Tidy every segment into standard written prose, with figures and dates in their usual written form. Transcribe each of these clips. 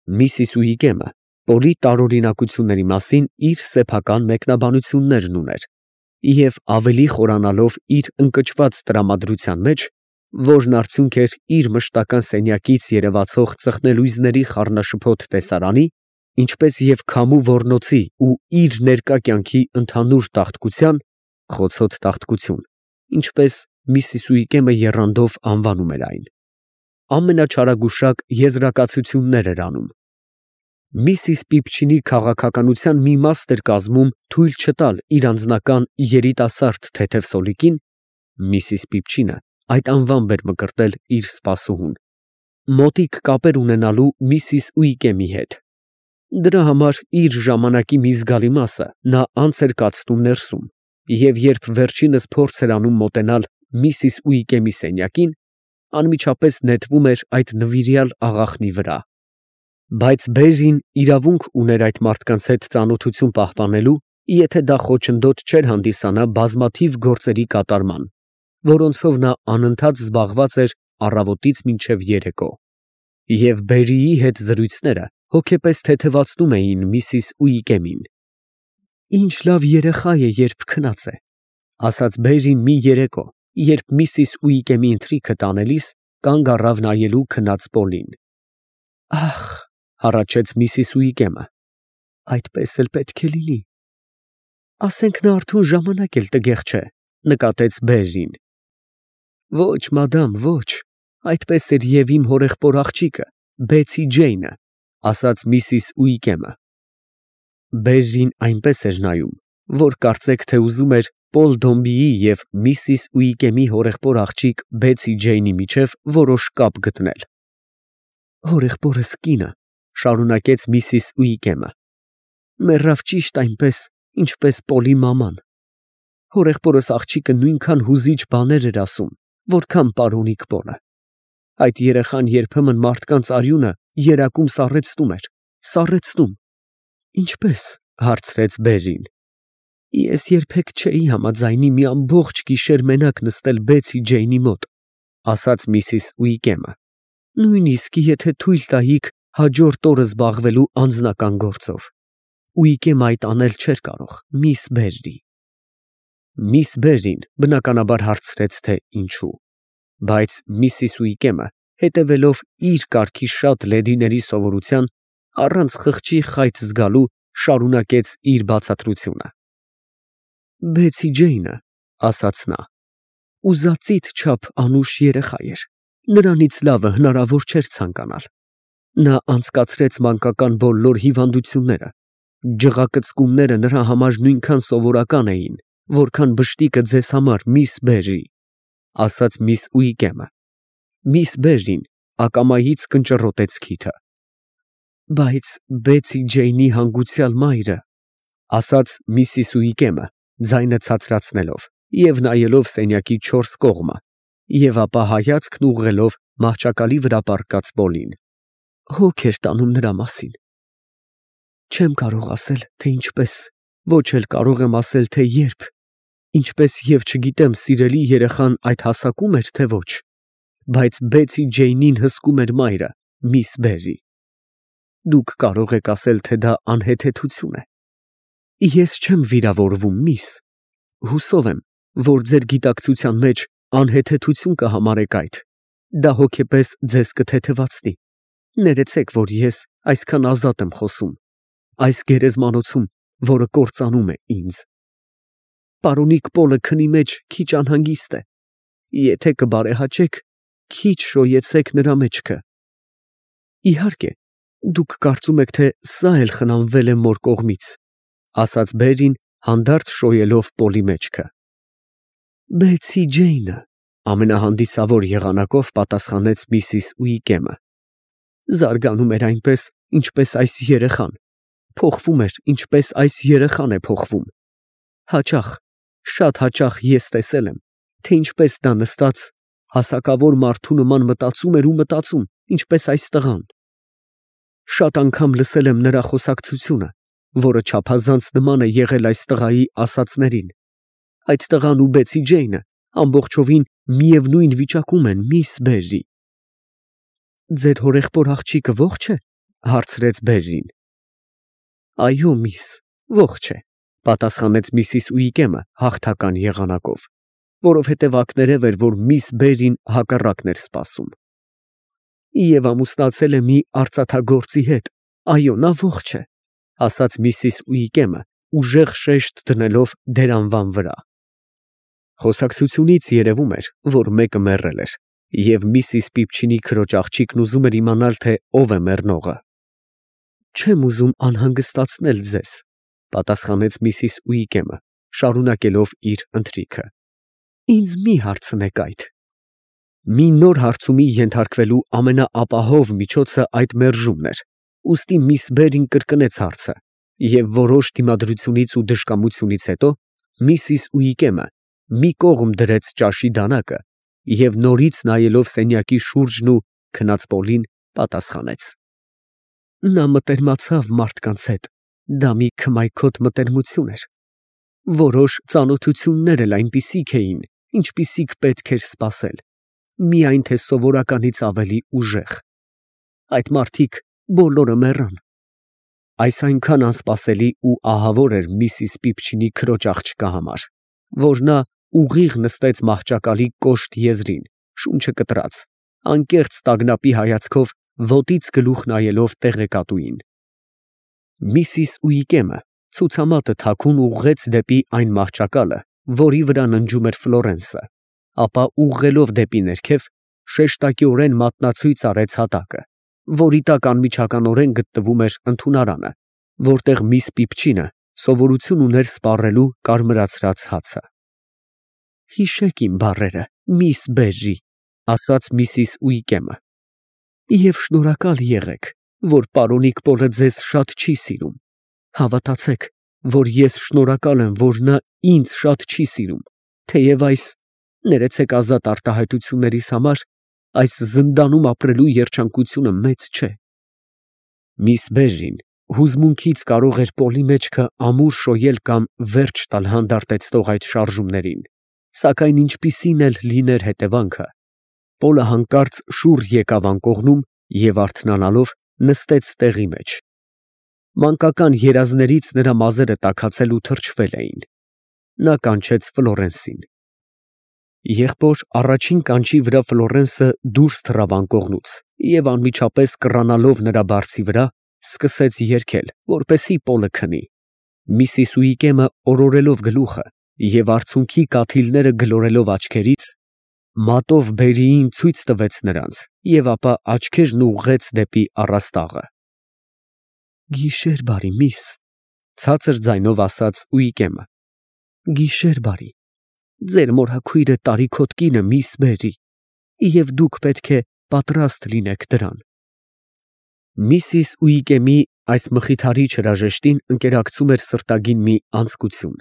Միսիս Ուիգեմը Պոլի տարօրինակությունների մասին իր սեփական մեկնաբանություններն ուներ և ավելի խորանալով իր ընկճված տրամադրության մեջ, որն արդյունք էր իր մշտական սենյակից երևացող ծխնելույզների խառնաշփոթ տեսարանի, ինչպես և քամու ոռնոցի ու իր ներկա կյանքի ընդհանուր տաղտկության (խոցոտ տաղտկություն), ինչպես Միսիս Ուիգեմը եռանդով անվանում էր այն, ամենաչարագուշակ եզրակացություններ էր անում։ Միսիս Պիպչինի քաղաքականության մի մաս էր կազմում թույլ չտալ իր անձնական երիտասարդ թեթև սոլիկին (Միսիս Պիպչինը այդ անվամբ էր մկրտել իր սպասուհուն) մոտիկ կապեր ունենալու Միսիս Ուիգեմի հետ։ Դրա համար իր ժամանակի մի զգալի մասը նա անց էր կացնում ներսում, և երբ վերջինս փորձ էր անում մոտենալ Միսիս Ուիգեմի սենյակին, անմիջապես նետվում էր այդ նվիրյալ աղախնի վրա։ Բայց Բերրին իրավունք ուներ այդ մարդկանց հետ ծանոթություն պահպանելու, եթե դա խոչընդոտ չէր հանդիսանա բազմաթիվ գործերի կատարման, որոնցով նա անընդհատ զբաղված էր առավոտից մինչև երեկո։ Եվ Բերրիի հետ զրույցները հոգեպես թեթևացնում էին Միսիս Ուիգեմին։ «Ինչ լավ երեխա է, երբ քնած է», ֊ ասաց Բերրին մի երեկո, երբ Միսիս Ուիգեմի ընթրիքը տանելիս կանգ առավ նայելու քնած Պոլին։ ֊ Ա՜խ, ֊ հառաչեց Միսիս Ուիգեմը, ֊ այդպես էլ պետք է լինի։ ֊ Ասենք նա արթուն ժամանակ էլ տգեղ չէ, ֊ նկատեց Բերրին։ ֊ Ոչ, մադամ, ոչ, այդպես էր և իմ հորեղբոր աղջիկը, Բեցի Ջեյնը, ֊ ասաց Միսիս Ուիգեմը։ Բերրին այնպես էր նայում, որ կարծեք թե ուզում էր Պոլ Դոմբիի և Միսիս Ուիգեմի հորեղբոր աղջիկ Բեցի Ջեյնի միջև որոշ կապ գտնել։ ֊ Հորեղբորս կինը, ֊ շարունակեց Միսիս Ուիգեմը, ֊ մեռավ ճիշտ այնպես, ինչպես Պոլի մաման։ Հորեղբորս աղջիկը նույնքան հուզիչ բաներ էր ասում, որքան պարոնիկ Պոլը։ Այդ երեխան երբեմն մարդկանց արյունը երակում սառեցնում էր, սառեցնում։ ֊ Ինչպե՞ս, ֊ հարցրեց Բերրին։ ֊ Ես երբեք չէի համաձայնի մի ամբողջ գիշեր մենակ նստել Բեցի Ջեյնի մոտ, ֊ ասաց Միսիս Ուիգեմը, ֊ նույնիսկ եթե թույլ տայիք հաջորդ օրը զբաղվելու անձնական գործով։ Ուիգեմը այդ անել չէր կարող, միս Բերրի։ Միս Բերրին բնականաբար հարցրեց, թե ինչու, բայց Միսիս Ուիգեմը, հետևելով իր կարգի շատ լեդիների սովորության, առանց խղճի խայծ զգալու, շարունակեց իր բացատրությունը։ Բեցի Ջեյնը, ֊ ասաց նա, ֊ ուզածիդ չափ անուշ երեխա էր, նրանից լավը հնարավոր չէր ցանկանալ։ Նա անցկացրեց մանկական բոլոր հիվանդությունները, ջղակծկումները նրա համար նույնքան սովորական էին, որքան բշտիկը ձեզ համար, միս Բերրի, ֊ ասաց միս Ուիգեմը։ Միս Բերրին ակամայից կնճռոտեց քիթը։ Բայց Բեցի Ջեյնի հանգուցյալ մայրը, ֊ ասաց Միսիս Ուիգեմը, ձայնը ցածրացնելով և նայելով սենյակի չորս կողմը, և ապա հայացքն ուղղելով մահճակալի վրա պառկած Պոլին, հոգ էր տանում նրա մասին։ Չեմ կարող ասել, թե ինչպես, ոչ էլ կարող եմ ասել, թե երբ, ինչպես և չգիտեմ սիրելի երեխան այդ հասակում էր, թե ոչ, բայց Բեցի Ջեյնին հսկում էր մայրը, միս Բերրի։ Դուք կարող եք ասել, թե դա անհեթեթություն է։ Ես չեմ վիրավորվում, միս, հուսով եմ, որ ձեր գիտակցության մեջ անհեթեթություն կհամարեք այդ, դա հոգեպես ձեզ կթեթևացնի։ Ներեցեք, որ ես այսքան ազատ եմ խոսում, այս գերեզմանոցում, որը կործանում է ինձ։ Պարոնիկ Պոլը քնի մեջ քիչ անհանգիստ է, եթե կբարեհաճեք, քիչ շոյեցեք նրա մեջքը։ Իհարկե, դուք կարծում եք, թե սա էլ խնամվել է մոր կողմից, ֊ ասաց Բերրին, հանդարտ շոյելով Պոլի մեջքը։ Բեցի Ջեյնը, ֊ ամենահանդիսավոր եղանակով պատասխանեց Միսիս Ուիգեմը, զարգանում էր այնպես, ինչպես այս երեխան, փոխվում էր, ինչպես այս երեխան է փոխվում։ Հաճախ, շատ հաճախ ես տեսել եմ, թե ինչպես նա նստած հասակավոր մարդու նման մտածում էր ու մտածում, ինչպես այս տղան։ Շատ անգամ լսել եմ նրա խոսակցությունը, որը չափազանց նման է եղել այս տղայի ասածներին։ Այդ տղան ու Բեցի Ջեյնը ամբողջովին միևնույն վիճակում են, միս Բերրի։ Ձեր հորեղբոր աղջիկը ո՞ղջ է, հարցրեց Բերրին։ Այո, միս, ողջ է, պատասխանեց Միսիս Ուիկեմը հաղթական եղանակով, որովհետև ակներև էր, որ միս Բերրին հակառակն էր սպասում։ Եվ ամուսնացել է մի արծաթագործի հետ, այո, նա ողջ է, ասաց Միսիս Ուիկեմը, ուժեղ շեշտ դնելով դեր անվան վրա։ Խոսակցությունից երևում էր, որ մեկը մեռել էր, և Միսիս Պիպչինի քրոջ աղջիկն ուզում էր իմանալ, թե ով է մեռնողը։ Չեմ ուզում անհանգստացնել ձեզ, պատասխանեց Միսիս Ուիկեմը, շարունակելով իր ընթրիքը։ Ինձ մի հարցնեք այդ։ Մի նոր հարցումի ենթարկվելու ամենաապահով միջոցը այդ մերժումն էր, ուստի միս Բերին կրկնեց հարցը, և որոշ դիմադրությունից ու դժկամությունից հետո Միսիս Ուիկեմը մի կողմ դրեց ճաշի դանակը և նորից նայելով սենյակի շուրջն ու քնած Պոլին պատասխանեց. Նա մտերմացավ մարդկանց հետ, դա մի քմայքոտ մտերմություն էր։ Որոշ ծանոթություններ էլ այնպիսիք էին, ինչպիսիք պետք էր սպասել, միայն թե սովորականից ավելի ուժեղ։ Այդ մարդիկ բոլորը մեռան։ Այս այնքան անսպասելի ու ահավոր էր Միսիս Պիպչինի քրոջ աղջկա համար, որ նա ուղիղ նստեց մահճակալի կոշտ եզրին, շունչը կտրած, անկեղծ տագնապի հայացքով ոտից գլուխ նայելով տեղեկատուին։ Միսիս Ուիկեմը ցուցամատը թաքուն ուղղեց դեպի այն մահճակալը, որի վրա ննջում էր Ֆլորենսը, ապա ուղղելով դեպի ներքև, շեշտակիորեն մատնացույց արեց հատակը, որի տակ անմիջականորեն գտնվում էր ընդունարանը, որտեղ միս Պիպչինը սովորություն ուներ սպառելու կարմրացրած հացը։ Հիշեք իմ բառերը, միս Բերրի, ասաց Միսիս Ուիկեմը, և շնորհակալ եղեք, որ պարոնիկ Պոլը ձեզ շատ չի սիրում։ Հավատացեք, որ ես շնորհակալ եմ, որ նա ինձ շատ չի սիրում, թեև այս, ներեցեք ազատ արտահայտություններիս համար, այս զնդանում ապրելու երջանկությունը մեծ չէ։ Միս Բերրին հուզմունքից կարող էր Պոլի մեջքը ամուր շոյել կամ վերջ տալ հանդարտեցնող այդ շարժումներին, սակայն ինչպիսին էլ լիներ հետևանքը, Պոլը հանկարծ շուռ եկավ անկողնում և արթնանալով նստեց տեղի մեջ։ Մանկական երազներից նրա մազերը տաքացել ու թրջվել էին։ Նա կանչեց Ֆլորենսին։ Եղբոր առաջին կանչի վրա Ֆլորենսը դուրս թռավ անկողնուց և անմիջապես կռանալով նրա բարձի վրա, սկսեց երգել, որպեսզի Պոլը քնի։ Միսիս Ուիկեմը օրորելով գլուխը և արցունքի կաթիլները գլորելով աչքերից, մատով Բերիին ցույց տվեց նրանց և ապա աչքերն ուղղեց դեպի առաստաղը։ Գիշեր բարի, միս, ցածր ձայնով ասաց Ուիկեմը։ Գիշեր բարի, ձեր մորաքույրը տարիքոտ կին է, միս Բերրի, և դուք պետք է պատրաստ լինեք դրան։ Միսիս Ուիկեմի այս մխիթարիչ հրաժեշտին ընկերակցում էր սրտագին մի անձկություն,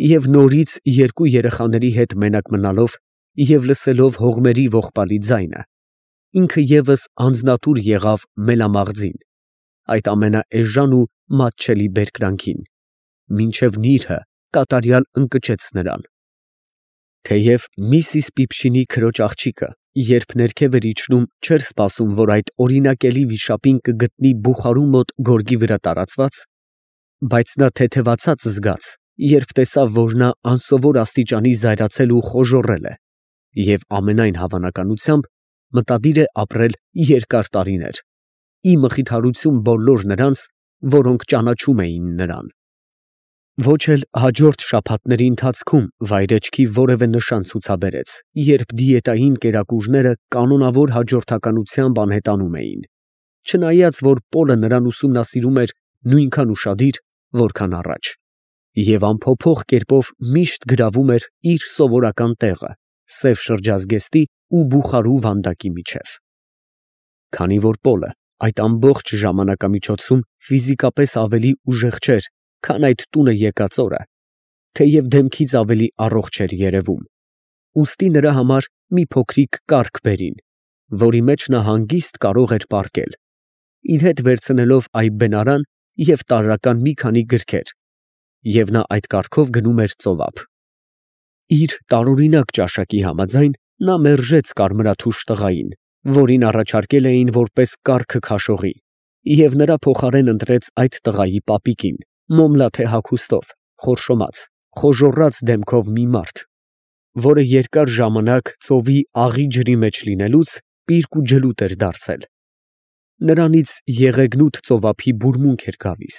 և նորից երկու երեխաների հետ մենակ մնալով և լսելով հողմերի ողբալի ձայնը, ինքը ևս անձնատուր եղավ մելամաղձին, այդ ամենաէժան ու մատչելի բերկրանքին, մինչև նիրհը կատարյալ ընկճեց նրան։ Թեև Միսիս Պիպչինի քրոջ աղջիկը, երբ ներքև էր իջնում, չէր սպասում, որ այդ օրինակելի վիշապին կգտնի բուխարու մոտ գորգի վրա տարածված, բայց նա թեթևացած զգաց, երբ տեսավ, որ նա անսովոր աստիճանի զայրացել ու խոժոռել է, և ամենայն հավանականությամբ մտադիր է ապրել երկար տարիներ, ի մխիթարություն բոլոր նրանց, որոնք ճանաչում էին նրան։ Ոչ էլ հաջորդ շաբաթների ընթացքում վայրեջքի որևէ նշան ցուցաբերեց, երբ դիետային կերակուրները կանոնավոր հաջորդականությամբ անհետանում էին, չնայած որ Պոլը նրան ուսումնասիրում էր նույնքան ուշադիր, որքան առաջ, և անփոփոխ կերպով միշտ գրավում էր իր սովորական տեղը սև շրջազգեստի ու բուխարու վանդակի միջև։ Քանի որ Պոլը այդ ամբողջ ժամանակամիջոցում ֆիզիկապես ավելի ուժեղ չէր, քան այդ տունը եկած օրը, թեև դեմքից ավելի առողջ էր երևում, ուստի նրա համար մի փոքրիկ կառք բերին, որի մեջ նա հանգիստ կարող էր պառկել, իր հետ վերցնելով այբբենարան և տարրական մի քանի գրքեր, և նա այդ կառքով գնում էր ծովափ։ Իր տարօրինակ ճաշակի համաձայն նա մերժեց կարմրաթուշ տղային, որին առաջարկել էին որպես կառքը քաշողի, Եվ նրա փոխարեն ընտրեց այդ տղայի պապիկին, մոմլաթե հագուստով, խորշոմած, խոժոռած դեմքով մի մարդ, որը երկար ժամանակ ծովի աղի ջրի մեջ լինելուց պիրկ ու ջլուտ էր դարձել. նրանից եղեգնուտ ծովափի բուրմունք էր գալիս։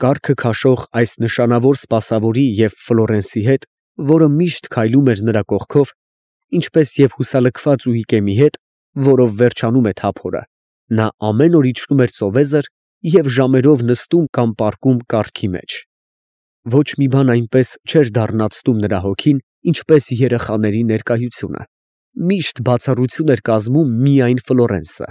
Կառքը քաշող այս նշանավոր սպասավորի և Ֆլորենսի հետ, որը միշտ քայլում էր նրա կողքով, ինչպես և հուսալքված Ուիկեմի հետ, որով վերջանում է թափորը, նա ամեն օր իջնում էր ծովեզր և ժամերով նստում կամ պառկում կառքի մեջ։ Ոչ մի բան այնպես չէր դառնացնում նրա հոգին, ինչպես երեխաների ներկայությունը, միշտ բացառություն էր կազմում միայն Ֆլորենսը։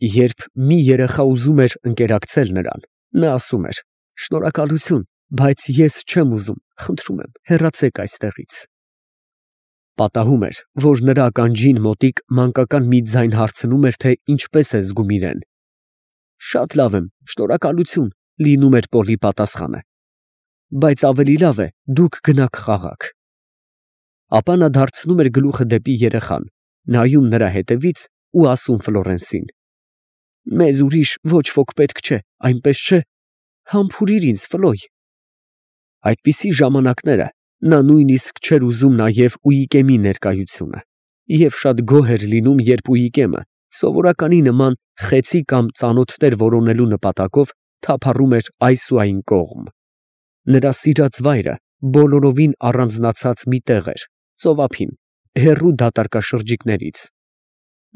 Երբ մի երեխա ուզում էր ընկերակցել նրան, նա ասում էր. «Շնորհակալություն, բայց ես չեմ ուզում, խնդրում եմ, հեռացեք այստեղից»։ Պատահում էր, որ նրա ականջին մոտիկ մանկական մի ձայն հարցնում էր, թե ինչպես է զգում իրեն։ «Շատ լավ եմ, շնորհակալություն», լինում էր Պոլի պատասխանը։ «Բայց ավելի լավ է, դուք գնաք խաղաք»։ Ապա նա դարձնում էր գլուխը դեպի երեխան, նայում նրա հետևից ու ասում Ֆլորենսին. «Մեզ ուրիշ ոչ ոք պետք չէ, այնպես չէ, համբուրիր ինձ, Ֆլոյ»։ Այդպիսի ժամանակները նա նույնիսկ չէր ուզում նաև Ուիկեմի ներկայությունը, և շատ գոհ էր լինում, երբ Ուիկեմը, սովորականի նման խեցի կամ ծանոթ տեր որոնելու նպատակով, թափառում էր այս ու այն կողմ։ Նրա սիրած վայրը բոլորովին առանձնացած մի տեղ էր, ծովափին, հեռու դատարկաշրջիկներից։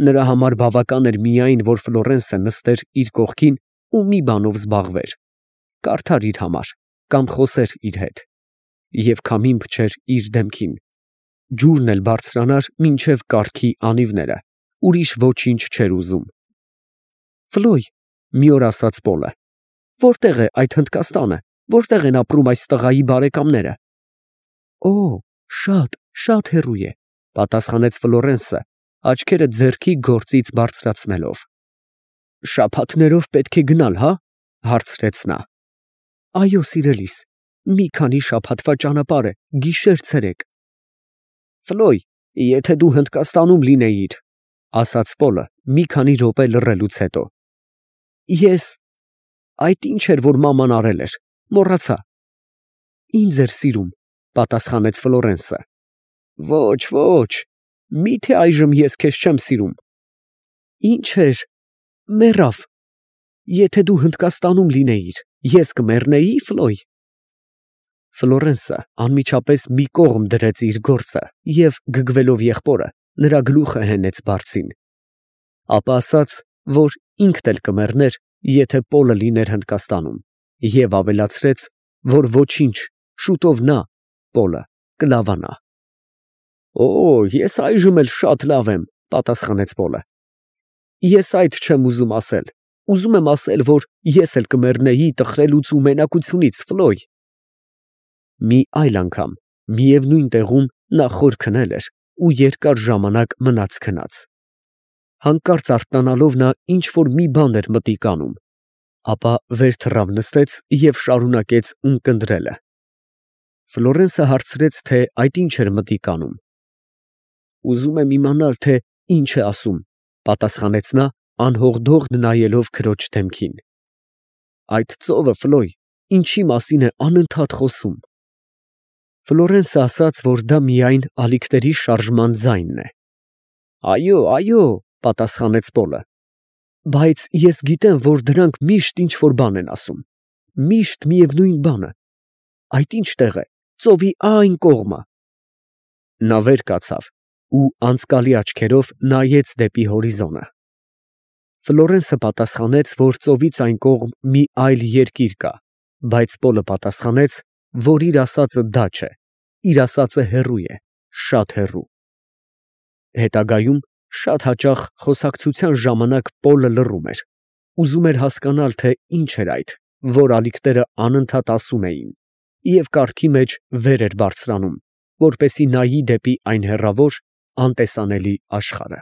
Նրա համար բավական էր միայն, որ Ֆլորենսը նստեր իր կողքին ու մի բանով զբաղվեր, կարդար իր համար կամ խոսեր իր հետ, և քամին փչեր իր դեմքին, ջուրն էլ բարձրանար մինչև կառքի անիվները, ուրիշ ոչինչ չէր ուզում։ «Ֆլոյ», մի օր ասաց Պոլը, «որտե՞ղ է այդ Հնդկաստանը, որտե՞ղ են ապրում այս տղայի բարեկամները»։ «Օ, շատ հեռու է», պատասխանեց Ֆլորենսը, աչքերը ձեռքի գործից բարձրացնելով։ «Շաբաթներով պետք է գնալ, հա՞, հարցրեց նա։ «Այո, սիրելիս, մի քանի շաբաթվա ճանապարհ է, գիշեր֊ցերեկ»։ «Ֆլոյ, եթե դու Հնդկաստանում լինեիր», ասաց Պոլը մի քանի րոպե լռելուց հետո։ Այդ ինչ էր, որ մաման արել էր, մոռացա։ «Ինձ էր սիրում», պատասխանեց Ֆլորենսը։ «Ոչ, միթե այժմ ես քեզ չեմ սիրում»։ «Ինչ էր, մեռավ։ Եթե դու Հնդկաստանում լինեիր, ես կմեռնեի, Ֆլոյ»։ Ֆլորենսը անմիջապես մի կողմ դրեց իր գործը և, գգվելով եղբորը, նրա գլուխը հենեց բարձին։ Ապա ասաց, որ ինքն էլ կմեռներ, եթե Պոլը լիներ Հնդկաստանում, և ավելացրեց, որ ոչինչ, շուտով նա, Պոլը, կլավանա։ «Օ, ես այժմ էլ շատ լավ եմ», պատասխանեց Պոլը։ «Ես այդ չեմ ուզում ասել, ուզում եմ ասել, որ ես էլ կմեռնեի տխրելուց ու մենակությունից, Ֆլոյ»։ Մի այլ անգամ, միևնույն տեղում նա խոր քնել էր ու երկար ժամանակ մնաց քնած։ Հանկարծ արթնանալով նա ինչ֊որ մի բան էր մտիկ անում, ապա վեր թռավ նստեց և շարունակեց ունկնդրելը։ Ֆլորենսը հարցրեց, թե այդ ինչ էր մտիկ անում։ «Ուզում եմ իմանալ, թե ինչ է ասում», պատասխանեց նա, անհողդողդ նայելով քրոջ դեմքին։ «Այդ ծովը, Ֆլոյ, ինչի մասին է անընդհատ խոսում»։ Ֆլորենսը ասաց, որ դա միայն ալիքների շարժման ձայնն է։ «Այո, պատասխանեց Պոլը, բայց ես գիտեմ, որ դրանք միշտ ինչ֊որ բան են ասում, միշտ միևնույն բանը։ Այդ ինչ տեղ է, ծովի այն կողմը»։ Նա վեր կացավ ու անցկալի աչքերով նայեց դեպի հորիզոնը։ Ֆլորենսը պատասխանեց, որ ծովից այն կողմ մի այլ երկիր կա, բայց Պոլը պատասխանեց, որ իր ասածը դա չէ, իր ասածը հեռու է, շատ հեռու։ Հետագայում շատ հաճախ խոսակցության ժամանակ Պոլը լռում էր, ուզում էր հասկանալ, թե ինչ էր այդ, որ ալիքները անընդհատ ասում էին, և կառքի մեջ վեր էր բարձրանում, որպեսզի նայի դեպի այն հեռավոր, անտեսանելի աշխարհը։